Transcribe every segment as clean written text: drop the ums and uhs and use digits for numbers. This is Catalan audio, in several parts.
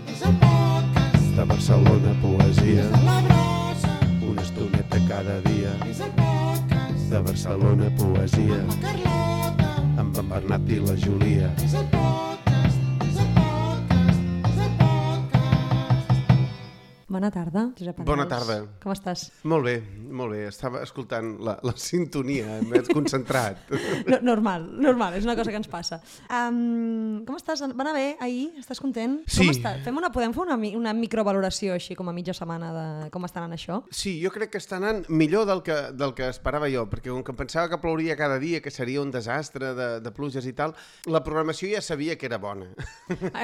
És el podcast De Barcelona Poesia, de la brossa. una estoneta cada dia. És el podcast De Barcelona Poesia, amb la Carlota. amb en Bernat i la Júlia. És el podcast, és el podcast, és el podcast. Bona tarda, Josep Arnals. Bona tarda. Com estàs? Molt bé, molt bé. Estava escoltant la sintonia, m'he concentrat. Normal, és una cosa que ens passa. Com estàs? Va anar bé ahir? Estàs content? Sí. Com estàs? Podem fer una microvaloració així com a mitja setmana de com està anant això? Sí, jo crec que està anant millor del que esperava jo, perquè com que pensava que plouria cada dia, que seria un desastre de pluges i tal, la programació ja sabia que era bona.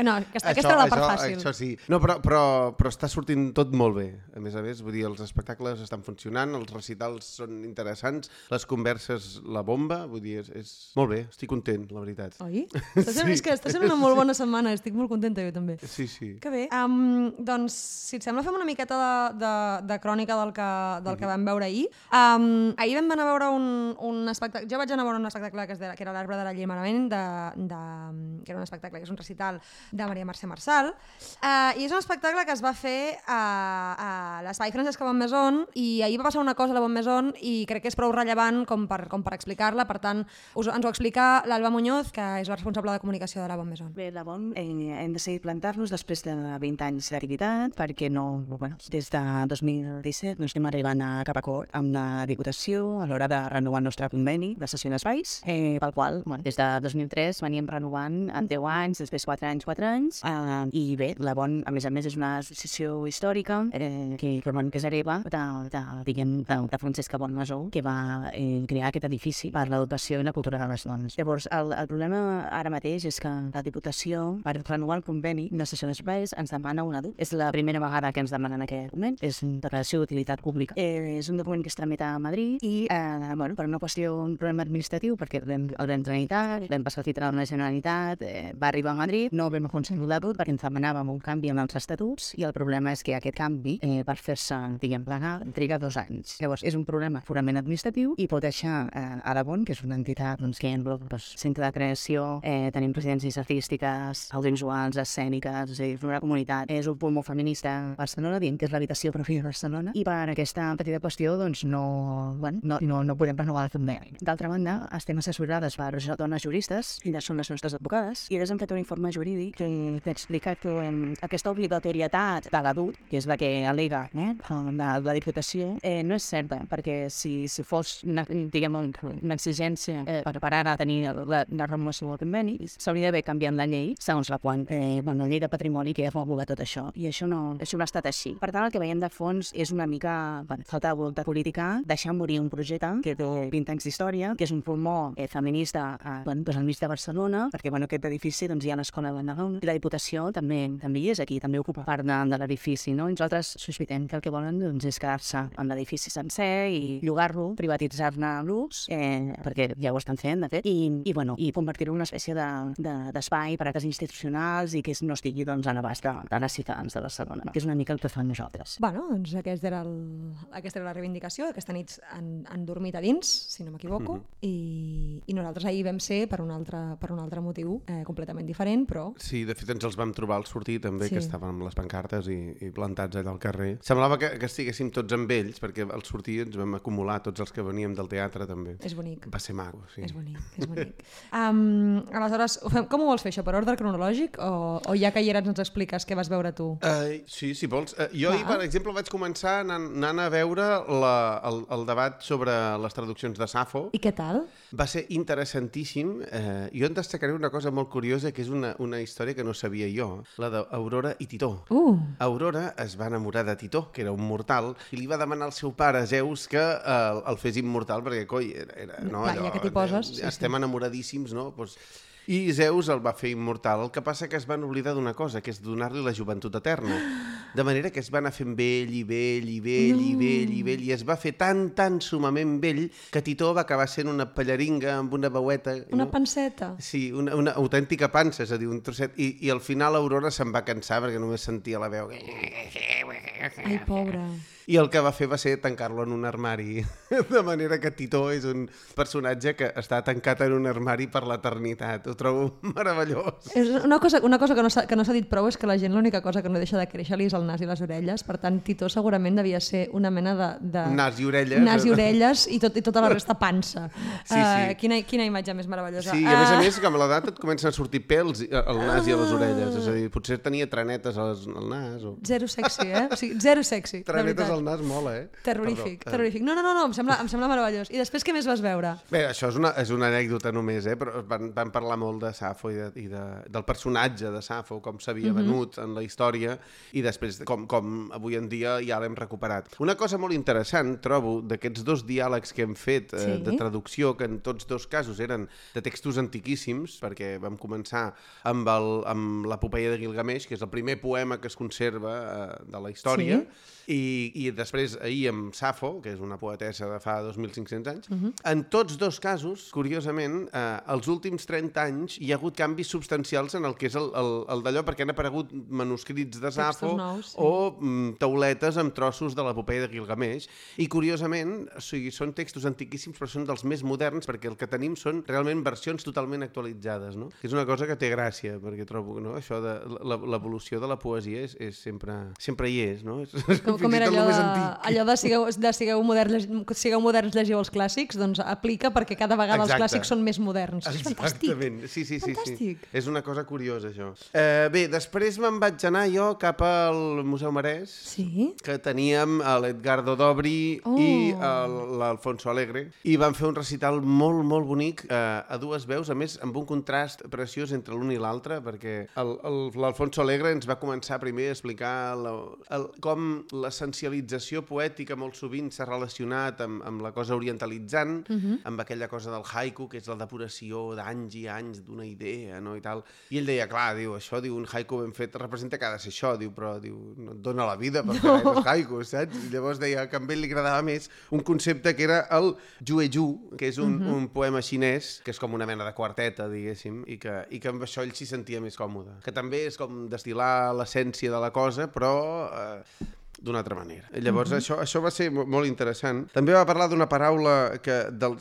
No, aquesta era la part fàcil. Això sí. No, però està sortint tot molt bé. A més, vull dir, els espectacles estan funcionant, els recitals són interessants, les converses, la bomba, vull dir, és molt bé, estic content, la veritat. Oi? Sí. És que està sent una molt bona setmana, estic molt contenta jo també. Sí, sí. Que bé. Doncs, si et sembla, fem una miqueta de crònica del que vam veure ahir. Ahir vam anar a veure un espectacle. Jo vaig anar a veure un espectacle que era l'Arbre de l'Alliberament, que era un espectacle, que és un recital de Maria Mercè Marçal. I és un espectacle que es va fer a l'Espai Francesc Bonnemaison, i ahir va passar una cosa a la Bonnemaison i crec que és prou rellevant com per explicar-la. Per tant, ens ho explica l'Alba Muñoz, que és la responsable de comunicació de la Bonnemaison. Bé, la BOM hem decidit plantar-nos després de 20 anys d'activitat perquè des de 2017 estem arribant a cap acord amb la Diputació a l'hora de renovar el nostre conveni de cessió d'espais, pel qual des de 2003 veníem renovant en 10 anys, després 4 anys, i bé, la BOM a més és una associació històrica que és hereva de Francesca Bonnemaison, que va crear aquest edifici per l'educació i la cultura de les dones. Llavors, el problema ara mateix és que la Diputació, per renovar el conveni de cessió d'espais, ens demana un adult. És la primera vegada que ens demanen aquest document. És una declaració d'utilitat pública. És un document que es tramita a Madrid i, per una qüestió, un problema administratiu, perquè el vam tramitar, vam passar el títol a la Generalitat, va arribar a Madrid, no vam aconseguir l'adult perquè ens demanàvem un canvi en els estatuts i el problema és que aquest canvi, per fer-se, legal, triga 2 anys. Llavors, és un problema purament administratiu i pot deixar a la BON, que és una entitat que engloba centre de creació, tenim residències artístiques, audiovisuals, escèniques, és una comunitat, és un punt molt feminista a Barcelona, dient que és l'habitació pròpia de Barcelona, i per aquesta petita qüestió no podem renovar el conveni. D'altra banda, estem assessorades per dones juristes, elles són les nostres advocades, i elles han fet un informe jurídic que explica que aquesta obligatorietat de l'adult, que és la que al·lega la Diputació, no és certa, perquè si fos una exigència per ara tenir la renovació del conveni, s'hauria d'haver canviat la llei, segons la qual la llei de patrimoni que regula tot això, i això no ha estat així. Per tant, el que veiem de fons és una mica falta de voluntat política, deixar morir un projecte que té 20 anys d'història, que és un pulmó feminista al mig de Barcelona, perquè aquest edifici hi ha l'escola de Nadal, i la Diputació també hi és aquí, també ocupa part de l'edifici, no? I nosaltres sospitem que el que volen és quedar-se en l'edifici sencer i llogar-lo, privatitzar-ne l'ús, perquè ja ho estan fent, de fet, i convertir-ho en una espècie d'espai per a actes institucionals i que no estigui a l'abast de les ciutadans de Barcelona, que és una mica el que fan nosaltres. Doncs aquesta era la reivindicació. Aquesta nit han dormit a dins, si no m'equivoco, i nosaltres ahir vam ser per un altre motiu completament diferent, però... Sí, de fet ens els vam trobar al sortir també, que estaven amb les pancartes i plantats allà al carrer. Semblava que estiguéssim tots amb ells, perquè al sortir ens vam acumular tots els que veníem del teatre també. És bonic. Va ser maco, sí. És bonic. Aleshores, com ho vols fer això? Per ordre cronològic? O ja que hi eres ens expliques què vas veure tu? Sí, si vols. Jo ahir, per exemple, vaig començar anant a veure el debat sobre les traduccions de Safo. I què tal? Va ser interessantíssim. Jo en destacaré una cosa molt curiosa, que és una història que no sabia jo, la d'Aurora i Titó. Aurora es va enamorar de Titó, que era un mortal, i li va demanar al seu pare, Zeus, que el fes immortal, perquè, coi, ja que t'hi poses... Estem enamoradíssims, no? I Zeus el va fer immortal. El que passa que es van oblidar d'una cosa, que és donar-li la joventut eterna. De manera que es va anar fent vell i vell i vell i vell i vell, i es va fer tan sumament vell que Titó va acabar sent una pallaringa amb una veueta. Una panceta. Sí, una autèntica pansa, és a dir, un trosset. I al final Aurora se'n va cansar perquè només sentia la veu. Ai, pobra. i el que va fer va ser tancar-lo en un armari. De manera que Titó és un personatge que està tancat en un armari per l'eternitat. Ho trobo meravellós. És una cosa que no s'ha dit prou és que la gent l'única cosa que no deixa de créixer-li és el nas i les orelles. Per tant, Titó segurament devia ser una mena de Nas i orelles. Nas i orelles i tota la resta pansa. Sí, sí. Quina imatge més meravellosa. Sí, i a més, com a l'edat et comencen a sortir pèls al nas i a les orelles. És a dir, potser tenia trenetes al nas. O... Zero sexy, eh? O sigui, zero sexy, de trenetes veritat. al nas mola, eh? Terrorífic, Perdó. terrorífic. No, em sembla meravellós. I després què més vas veure? Bé, això és una anècdota només, però van parlar molt de Safo del personatge de Safo, com s'havia venut en la història i després com avui en dia ja l'hem recuperat. Una cosa molt interessant, trobo, d'aquests dos diàlegs que hem fet de traducció, que en tots dos casos eren de textos antiquíssims, perquè vam començar amb l'epopeia de Gilgamesh, que és el primer poema que es conserva de la història, i després ahir amb Safo, que és una poetessa de fa 2.500 anys. En tots dos casos, curiosament, els últims 30 anys hi ha hagut canvis substancials en el que és el d'allò, perquè han aparegut manuscrits de Safo o tauletes amb trossos de l'epopeia de Gilgamesh, i curiosament, o sigui, són textos antiquíssims però són dels més moderns, perquè el que tenim són realment versions totalment actualitzades, no? Que és una cosa que té gràcia, perquè trobo, no? Això de l'evolució de la poesia és sempre hi és, no? Com era allò de sigueu moderns, llegiu els clàssics, doncs aplica perquè cada vegada els clàssics són més moderns. És fantàstic. Exactament, sí. Fantàstic. És una cosa curiosa, això. Bé, després me'n vaig anar jo cap al Museu Marès, que teníem l'Edgardo Dobri i l'Alfonso Alegre, i van fer un recital molt, molt bonic a dues veus, a més, amb un contrast preciós entre l'un i l'altre, perquè l'Alfonso Alegre ens va començar primer a explicar com l'essencialització poètica molt sovint s'ha relacionat amb la cosa orientalitzant, amb aquella cosa del haiku, que és la depuració d'anys i anys d'una idea, no? I tal. I ell deia, clar, això, un haiku ben fet representa que ha de ser això, però no et dona la vida per fer els haikus, saps? I llavors deia que a ell li agradava més un concepte que era el jueju, que és un poema xinès, que és com una mena de quarteta, diguéssim, i que amb això ell s'hi sentia més còmode. Que també és com destil·lar l'essència de la cosa, però d'una altra manera. Llavors, això va ser molt interessant. També va parlar d'una paraula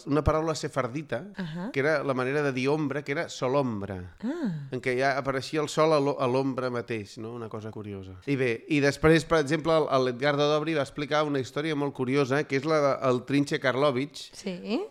una paraula sefardita, que era la manera de dir ombra, que era solombra, en què ja apareixia el sol a l'ombra mateix, no? Una cosa curiosa. I bé, i després, per exemple, l'Edgardo Dobri va explicar una història molt curiosa, que és la del Trinche Karlovic,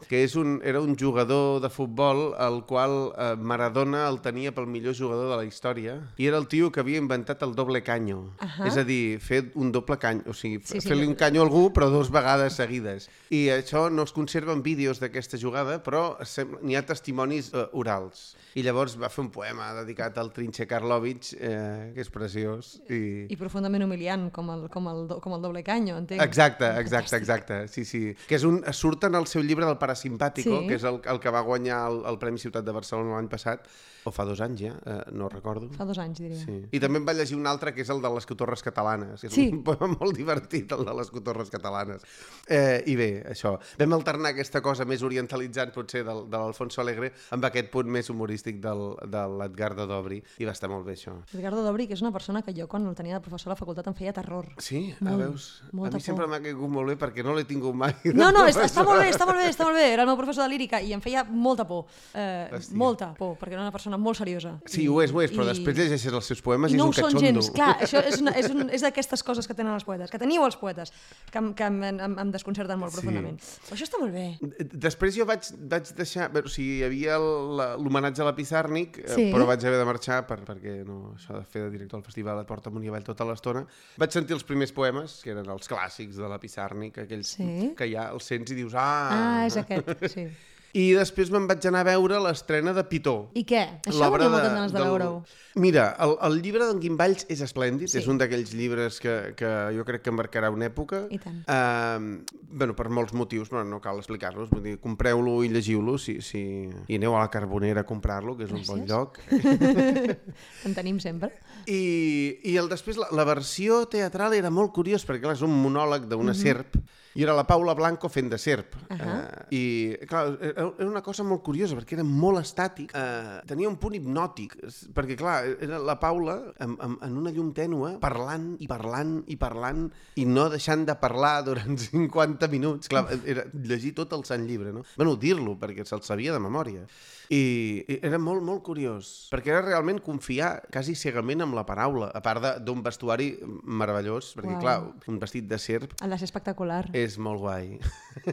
que era un jugador de futbol al qual Maradona el tenia pel millor jugador de la història, i era el tio que havia inventat el doble canyo. És a dir, fer un doble cany, o sigui, fer-li un canyo a algú però 2 vegades seguides. I això no es conserva en vídeos d'aquesta jugada, però n'hi ha testimonis orals. I llavors va fer un poema dedicat al Trinche Karlovic, que és preciós. I profundament humiliant, com el doble canyo, entenc. Exacte. Sí. Que surt en el seu llibre del Parasimpàtico, que és el que va guanyar el Premi Ciutat de Barcelona l'any passat, o fa 2 anys ja, no recordo. Fa 2 anys, diria. Sí. I també em va llegir un altre, que és el de les cotorres catalanes, que és un poema molt divertit, el de les cotorres catalanes. I bé, això. Vam alternar aquesta cosa més orientalitzant, potser, de l'Alfonso Alegre, amb aquest punt més humorístic de l'Edgardo Dobri, i va estar molt bé, això. Edgardo Dobri, que és una persona que jo, quan el tenia de professor a la facultat, em feia terror. Sí? Veus? A mi sempre m'ha caigut molt bé, perquè no l'he tingut mai. No, està molt bé. Era el meu professor de lírica i em feia molta por. Molta por, perquè era una persona molt seriosa. Sí, ho és, però després llegeixes els seus poemes i és un catxondo. I no ho són gens, clar, això és d'aquestes coses que tenen els poetes, que teniu els poetes, que em desconcerten molt profundament. Però això està molt bé. Després jo vaig deixar, o sigui, hi havia l'homenatge a la Pissarnik, però vaig haver de marxar perquè això de fer de director del festival et porta amunt i avall tota l'estona. Vaig sentir els primers poemes, que eren els clàssics de la Pissarnik, aquells que ja els sents i dius, és aquest, sí. I després me'n vaig anar a veure l'estrena de Pitó. I què? Això ho tenia moltes ganes de veure-ho. Mira, el llibre d'en Guimballs és esplèndid, és un d'aquells llibres que jo crec que marcarà una època. I tant. Per molts motius, però no cal explicar-los. Vull dir, compreu-lo i llegiu-lo i aneu a la Carbonera a comprar-lo, que és un bon lloc. En tenim sempre. I després la versió teatral era molt curiós, perquè és un monòleg d'una serp I era la Paula Blanco fent de serp. I, clar, era una cosa molt curiosa, perquè era molt estàtic. Tenia un punt hipnòtic, perquè, clar, era la Paula en una llum tènue, parlant i parlant i parlant, i no deixant de parlar durant 50 minuts. Clar, era llegir tot el Sant Llibre, no? Bueno, dir-lo, perquè se'l sabia de memòria. I era molt, molt curiós, perquè era realment confiar quasi cegament amb la paraula, a part d'un vestuari meravellós, perquè, clar, un vestit de serp Ha de ser espectacular. és molt guai.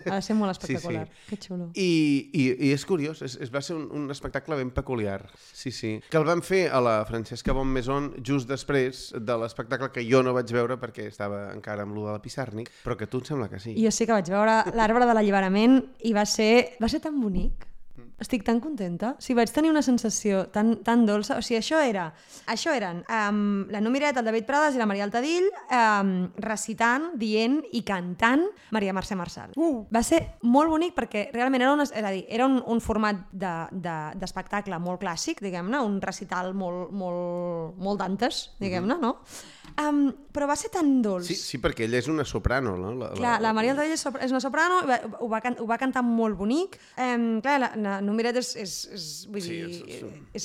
Ha de ser molt espectacular. Que xulo. I és curiós, va ser un espectacle ben peculiar. Sí, sí. Que el van fer a la Francesca Bonmaison just després de l'espectacle que jo no vaig veure perquè estava encara amb lo de la Pissarnik, però que tu em sembla que sí. I jo sí que vaig veure l'Arbre de l'Alliberament i va ser tan bonic. Estic tan contenta. O sigui, vaig tenir una sensació tan dolça. O sigui, això eren la Numiret, el David Prades i la Maria Altadill recitant, dient i cantant Maria Mercè Marçal. Va ser molt bonic perquè realment era un format d'espectacle molt clàssic, diguem-ne, un recital molt Dantes, diguem-ne, no? Però va ser tan dolç. Sí, perquè ella és una soprano, no? Clar, la Maria Altadill és una soprano, ho va cantar molt bonic. Clar, la Numiret és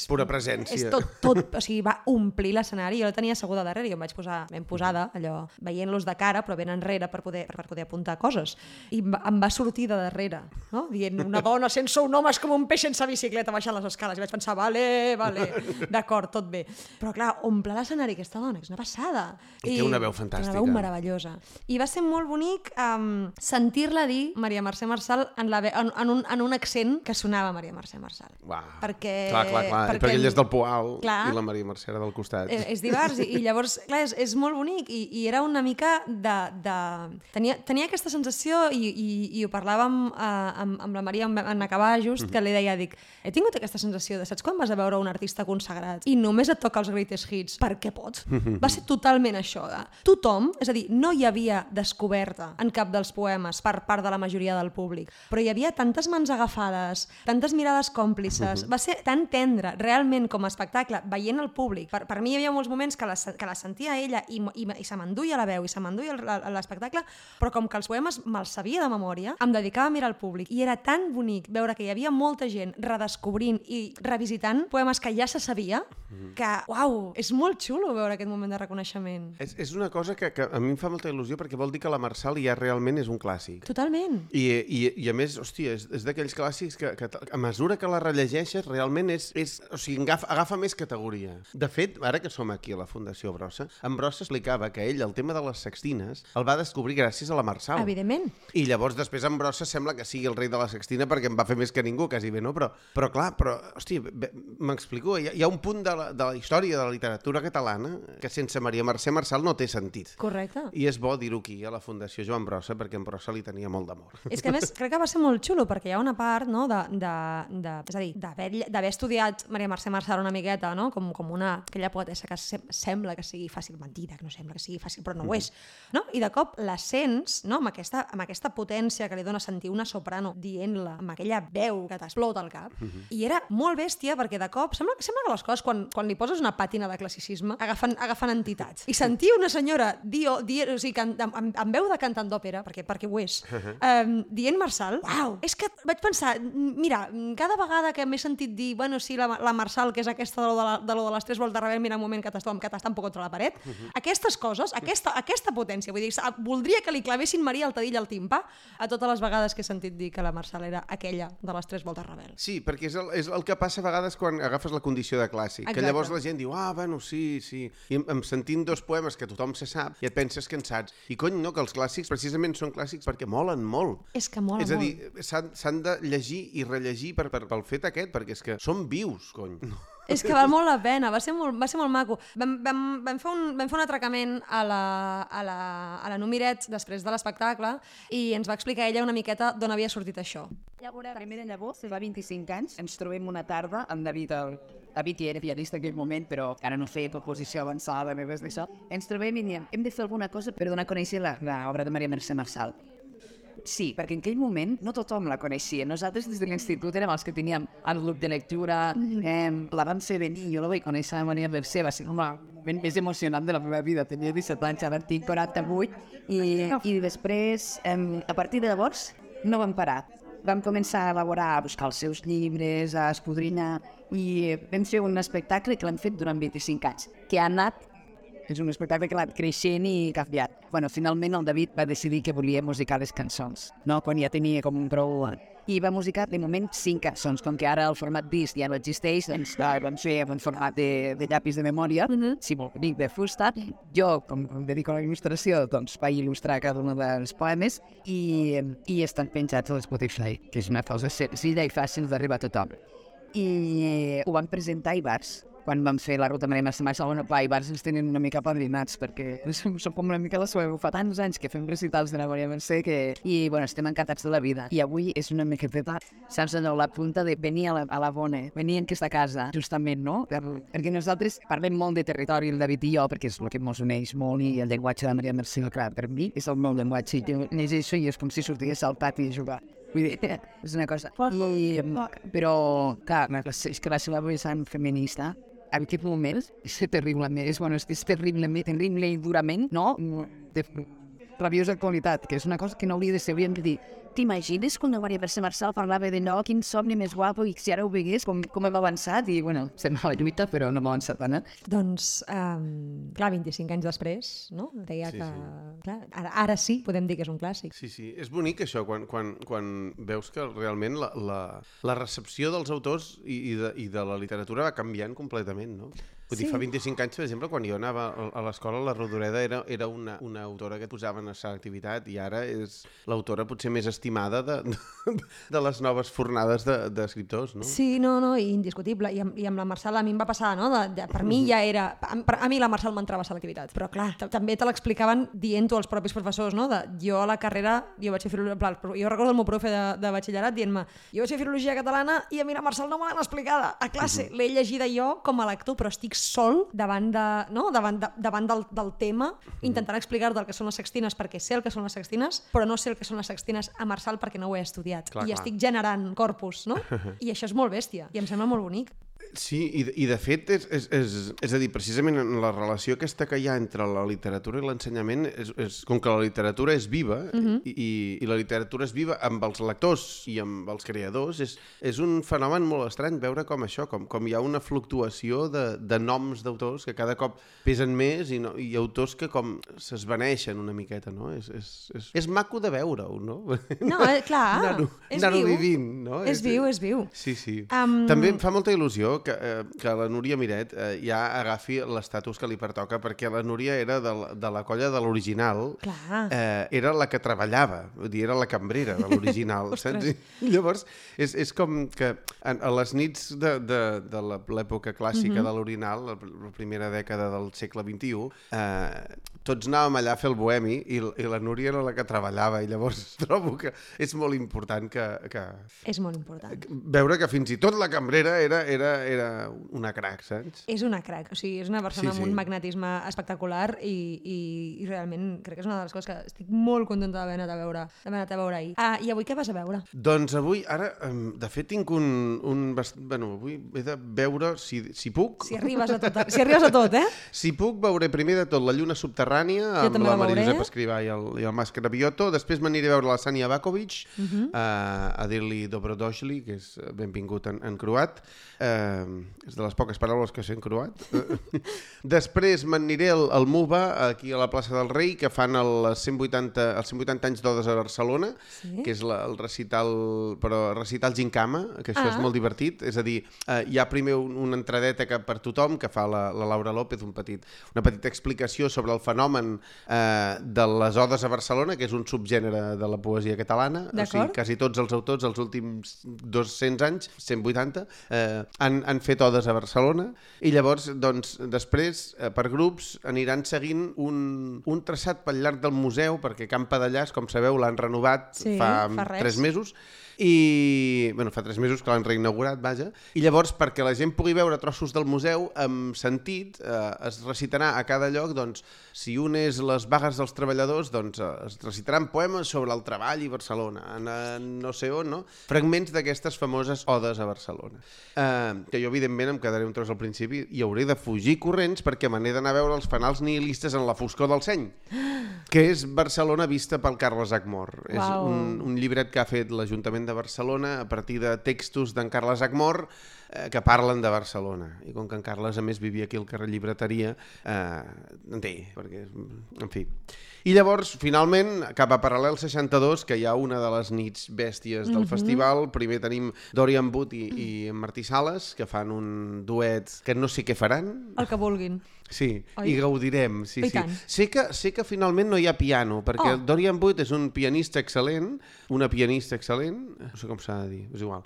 pura presència. És tot, o sigui, va omplir l'escenari. Jo la tenia asseguda darrere, jo em vaig posar ben posada, allò, veient-los de cara, però ben enrere per poder apuntar coses. I em va sortir de darrere, no? Dient, una dona sense un home és com un peix sense bicicleta baixant les escales. I vaig pensar, vale, d'acord, tot bé. Però clar, omple l'escenari aquesta dona, és una passada. I té una veu fantàstica. Té una veu meravellosa. I va ser molt bonic sentir-la dir Maria Mercè Marçal en un accent que sonava Maria Mercè Marçal. Perquè ell és del Poal i la Maria Mercè era del costat. És divers i llavors, clar, és molt bonic i era una mica tenia aquesta sensació i ho parlàvem amb la Maria en acabar just, que li deia, he tingut aquesta sensació de, saps quan vas a veure un artista consagrat i només et toca els greatest hits perquè pot? Va ser totalment això. Tothom, és a dir, no hi havia descoberta en cap dels poemes per part de la majoria del públic, però hi havia tantes mans agafades, tantes mirades còmplices, va ser tan tendre, realment, com a espectacle, veient el públic. Per mi hi havia molts moments que la sentia ella i se m'enduia la veu i se m'enduia l'espectacle, però com que els poemes me'ls sabia de memòria, em dedicava a mirar el públic i era tan bonic veure que hi havia molta gent redescobrint i revisitant poemes que ja se sabia, que, uau, és molt xulo veure aquest moment de reconeixement. És una cosa que a mi em fa molta il·lusió perquè vol dir que la Marçal ja realment és un clàssic. Totalment. I a més, hòstia, és d'aquells clàssics que a mesura que la rellegeixes realment o sigui, agafa més categoria. De fet, ara que som aquí a la Fundació Brossa, en Brossa explicava que ell el tema de les sextines el va descobrir gràcies a la Marçal. Evidentment. I llavors després en Brossa sembla que sigui el rei de la sextina perquè en va fer més que ningú, quasi bé, no? Però clar, hòstia, m'explico, hi ha un punt de la història de la literatura catalana que sense Maria Mercè Marçal no té sentit. Correcte. I és bo dir-ho aquí, a la Fundació Joan Brossa, perquè en Brossa li tenia molt d'amor. És que a més crec que va ser molt xulo perquè hi ha una part, no, és a dir, d'haver estudiat Maria Mercè Marçal una miqueta, no, com aquella poetessa que sembla que sigui fàcil, mentida, que no sembla que sigui fàcil, però no ho és, no? I de cop la sents, no, amb aquesta potència que li dona sentir una soprano dient-la, amb aquella veu que t'explota al cap, i era molt bèstia perquè de cop sembla que les coses, quan li poses una pàtina de classicisme, agafen entitats. I sentir una senyora o sigui, amb veu de cantant d'òpera, perquè ho és, dient Marçal, uau, és que vaig pensar, mira, cada vegada que m'he sentit dir, bueno, sí, la Marçal, que és aquesta de lo de les 3 voltes rebel, mira un moment que t'està un poc contra la paret, aquestes coses, aquesta potència, vull dir, voldria que li clavessin Maria Altadill al timpà a totes les vegades que he sentit dir que la Marçal era aquella de les 3 voltes rebel. Sí, perquè és el que passa a vegades quan agafes la condició de clàssic, que llavors la gent diu, bueno, sí, i sentint 2 poemes que tothom se sap i et penses que en saps. I cony, no, que els clàssics precisament són clàssics perquè molen molt. És que molen molt. És a dir, s'han de llegir i rellegir pel fet aquest, perquè és que són vius, cony. És que val molt la pena, va ser molt maco. Vam fer un atracament a la Numiret després de l'espectacle i ens va explicar ella una miqueta d'on havia sortit això. Primera llavors, fa 25 anys, ens trobem una tarda amb David, David ja era pianista en aquell moment, però ara no feia composició avançada ni res d'això. Ens trobem i diem, hem de fer alguna cosa per donar a conèixer l'obra de Maria Mercè Marçal. Sí, perquè en aquell moment no tothom la coneixia. Nosaltres des de l'institut érem els que teníem el grup de lectura, la vam fer venir, jo la vaig conèixer de Maria Mercè, va ser el moment més emocionant de la meva vida. Tenia 17 anys, ara en tinc 48, i després, a partir de llavors, no vam parar. Vam començar a elaborar, a buscar els seus llibres, a escudrinyar, i vam fer un espectacle que l'hem fet durant 25 anys, que ha anat, és un espectacle que l'ha anat creixent i canviat. Bueno, finalment el David va decidir que volia musicar les cançons, no? Quan ja tenia com un prou... I va musicar, de moment, 5 cançons. Com que ara el format disc ja no existeix, doncs vam fer en format de llapis de memòria, si vol dir, de fusta. Jo, com em dedico a la il·lustració, doncs vaig il·lustrar cada un dels poemes i estan penjats a l'Spotify, que és una cosa senzilla i fàcil d'arribar a tothom. I ho vam presentar a Ibars, quan vam fer la ruta Maria Mercè Marçal. A Ibars ens tenen una mica padrinats, perquè som com una mica la sueva. Fa tants anys que fem recitals de la Maria Mercè i bueno, estem encantats de la vida. I avui és una miqueta, saps, allò, la punta de venir a la bona, venir en aquesta casa, justament, no? Perquè nosaltres parlem molt de territori, el David i jo, perquè és el que ens uneix molt, i el llenguatge de la Maria Mercè, clar, per mi és el meu llenguatge. Jo llegeixo i és com si sortís al pati a jugar. Vull dir, és una cosa. Però, clar, és que la seva vessant feminista, en aquest moment, és terriblement, és terrible i durament, no? De rabiosa qualitat, que és una cosa que no hauria de ser. Hauríem de dir, t'imagines quan la Maria Mercè Marçal parlava de no, quin somni més guapo, i si ara ho vegués, com hem avançat, i bueno, estem a la lluita, però no hem avançat tant, Doncs, clar, 25 anys després, no? Deia que... Clar, ara sí podem dir que és un clàssic. Sí, és bonic això, quan veus que realment la recepció dels autors i de la literatura va canviant completament, no? Vull dir, fa 25 anys, per exemple, quan jo anava a l'escola, la Rodoreda era una autora que posaven a selectivitat, i ara és l'autora potser més estimada de les noves fornades d'escriptors, no? Sí, no, indiscutible. I amb la Marçal a mi em va passar, no? Per mi ja era... A mi la Marçal m'entrava a selectivitat, però clar, també te l'explicaven dient-ho als propis professors, no? Jo a la carrera, jo vaig fer filologia... Jo recordo el meu profe de batxillerat dient-me, jo vaig fer filologia catalana i a mi la Marçal no me l'han explicada a classe. L'he llegida jo com a lector, però estic sol davant del tema, intentant explicar-te el que són les sextines, perquè sé el que són les sextines, però no sé el que són les sextines a Marçal perquè no ho he estudiat. Clar. Estic generant corpus, no? I això és molt bèstia, i em sembla molt bonic. Sí, i de fet, és a dir, precisament en la relació aquesta que hi ha entre la literatura i l'ensenyament, com que la literatura és viva, i la literatura és viva amb els lectors i amb els creadors, és un fenomen molt estrany veure com això, com hi ha una fluctuació de noms d'autors que cada cop pesen més, i autors que com s'esvaneixen una miqueta, no? És maco de veure-ho, no? No, clar, és anar-ho viu. vivint, no? És viu. Sí. També em fa molta il·lusió que la Núria Miret ja agafi l'estatus que li pertoca, perquè la Núria era de la colla de l'original, era la que treballava, vull dir, era la cambrera de l'original, saps? I llavors és com que a les nits de l'època clàssica de l'Orinal, la primera dècada del segle XXI, tots anàvem allà a fer el bohemi i la Núria era la que treballava, i llavors trobo que és molt important que... És molt important. Veure que fins i tot la cambrera era una crac, saps? És una crac, o sigui, és una persona amb un magnetisme espectacular i realment crec que és una de les coses que estic molt contenta d'haver anat a veure ahir. I avui què vas a veure? Doncs avui, ara, de fet, tinc avui he de veure si puc... Si arribes a tot, eh? Si puc, veuré primer de tot La lluna subterrània, amb la Maria Josep Escrivà i el Mas Cravioto. Després m'aniré a veure la Sania Bakovic, a dir-li Dobrodošli, que és benvingut en croat. És de les poques paraules que sé en croat. Després m'aniré al MUBA, aquí a la plaça del Rei, que fan els 180 anys d'Odes a Barcelona, que és el recital, però recital Gincama, que això és molt divertit. És a dir, hi ha primer una entradeta per tothom, que fa la Laura López, una petita explicació sobre el fenomen de les Odes a Barcelona, que és un subgènere de la poesia catalana. O sigui, quasi tots els autors, els últims 200 anys, 180, han han fet odes a Barcelona i llavors, doncs, després, per grups, aniran seguint un traçat pel llarg del museu, perquè Can Padellàs, com sabeu, l'han renovat fa 3 mesos, i fa 3 mesos que l'han reinaugurat, vaja, i llavors perquè la gent pugui veure trossos del museu amb sentit, es recitarà a cada lloc, doncs, si un és les vagues dels treballadors, doncs es recitaran poemes sobre el treball i Barcelona, no sé on, no? Fragments d'aquestes famoses odes a Barcelona. Que jo, evidentment, em quedaré un tros al principi i hauré de fugir corrents perquè me n'he d'anar a veure els fanals nihilistes en la foscor del seny, que és Barcelona vista pel Carles Achmor. És un llibret que ha fet l'Ajuntament de Barcelona a partir de textos d'en Carles Achmor que parlen de Barcelona. I com que en Carles, a més, vivia aquí al carrer Llibreteria, en té, perquè, en fi. I llavors, finalment, cap a Paral·lel 62, que hi ha una de les nits bèsties del festival, primer tenim Dorian Wood i Martí Sales, que fan un duet que no sé què faran. El que vulguin. Sí, i gaudirem. Sí, I tant. Sé que finalment no hi ha piano, perquè Dorian Wood és un pianista excel·lent, una pianista excel·lent, no sé com s'ha de dir, és igual.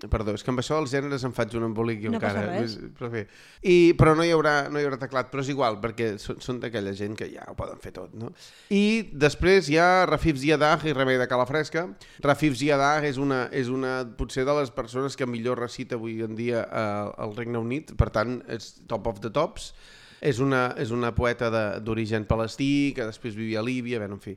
Perdó, és que amb això dels gèneres em faig un embolic jo encara. Però bé. Però no hi haurà teclat, però és igual, perquè són d'aquella gent que ja ho poden fer tot, no? I després hi ha Rafif Ziadah i Remei de Calafresca. Rafif Ziadah és una potser de les persones que millor recita avui en dia al Regne Unit, per tant, és top of the tops. És una poeta d'origen palestí que després vivia a Líbia, en fi.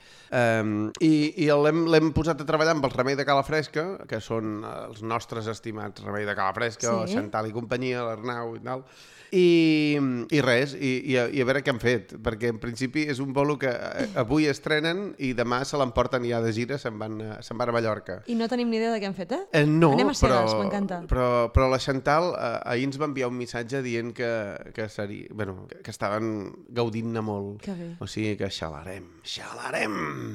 I l'hem posat a treballar amb el Remei de Calafresca, que són els nostres estimats Remei de Calafresca, el Xantal i companyia, l'Arnau i tal. I res, i a veure què han fet, perquè en principi és un bolo que avui estrenen i demà se l'emporten ja de gira, se'n van a Mallorca. I no tenim ni idea de què han fet, eh? No, anem a cegues, m'encanta. Però la Xantal ahir ens va enviar un missatge dient que estaven gaudint-ne molt. Que bé. O sigui que xalarem.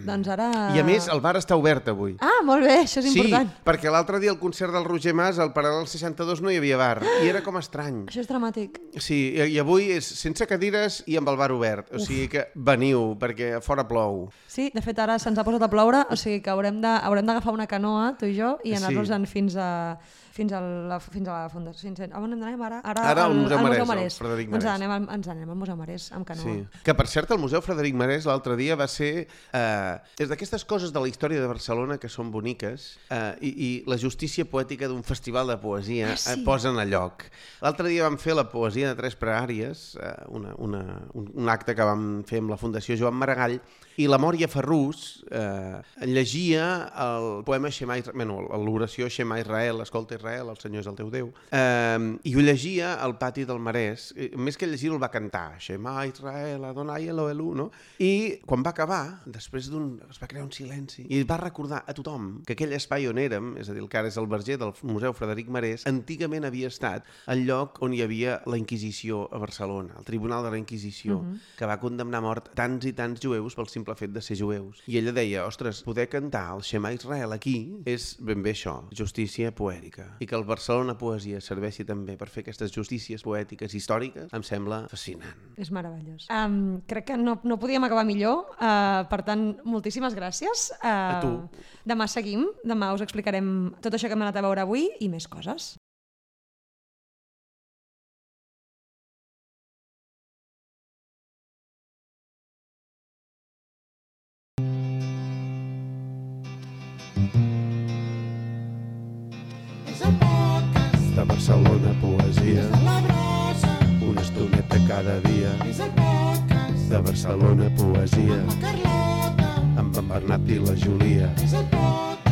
Doncs ara... I a més, el bar està obert avui. Ah, molt bé, això és important. Sí, perquè l'altre dia al concert del Roger Mas, al Paral·lel 62, no hi havia bar, i era com estrany. Això és dramàtic. Sí, i avui és sense cadires i amb el bar obert, o sigui que veniu, perquè fora plou. Sí, de fet ara se'ns ha posat a ploure, o sigui que haurem d'agafar una canoa, tu i jo, i anar-nos-en fins a la fundació. On anem ara? Ara al Museu Marès, al Frederic Marès. Ens anem al Museu Marès amb canoa. Sí. Que, per cert, el Museu Frederic Marès l'altre dia va ser... és d'aquestes coses de la història de Barcelona que són boniques i la justícia poètica d'un festival de poesia posen a lloc. L'altre dia vam fer la poesia de 3 pregàries, un acte que vam fer amb la Fundació Joan Maragall, i la Mòria Ferrús llegia el poema l'oració Shema Israel, escolta Israel, el Senyor és el teu Déu, i ho llegia al pati del Marès. Més que llegir-ho el va cantar, Shema Israel, Adonai Elohelu, no? I quan va acabar, després es va crear un silenci, i va recordar a tothom que aquell espai on érem, és a dir, el que ara és el verger del Museu Frederic Marès, antigament havia estat el lloc on hi havia la Inquisició a Barcelona, el Tribunal de la Inquisició, que va condemnar a mort tants i tants jueus pel simple fet de ser jueus. I ella deia, ostres, poder cantar el Shema Israel aquí és ben bé això, justícia poètica. I que el Barcelona Poesia serveixi també per fer aquestes justícies poètiques històriques, em sembla fascinant. És meravellós. Crec que no podíem acabar millor, per tant, moltíssimes gràcies. A tu. Demà seguim, demà us explicarem tot això que hem anat a veure avui i més coses. És el podcast De Barcelona Poesia, de la brossa. una estoneta cada dia. És el podcast De Barcelona Poesia, la Carlota. amb en Bernat i la Júlia. És el podcast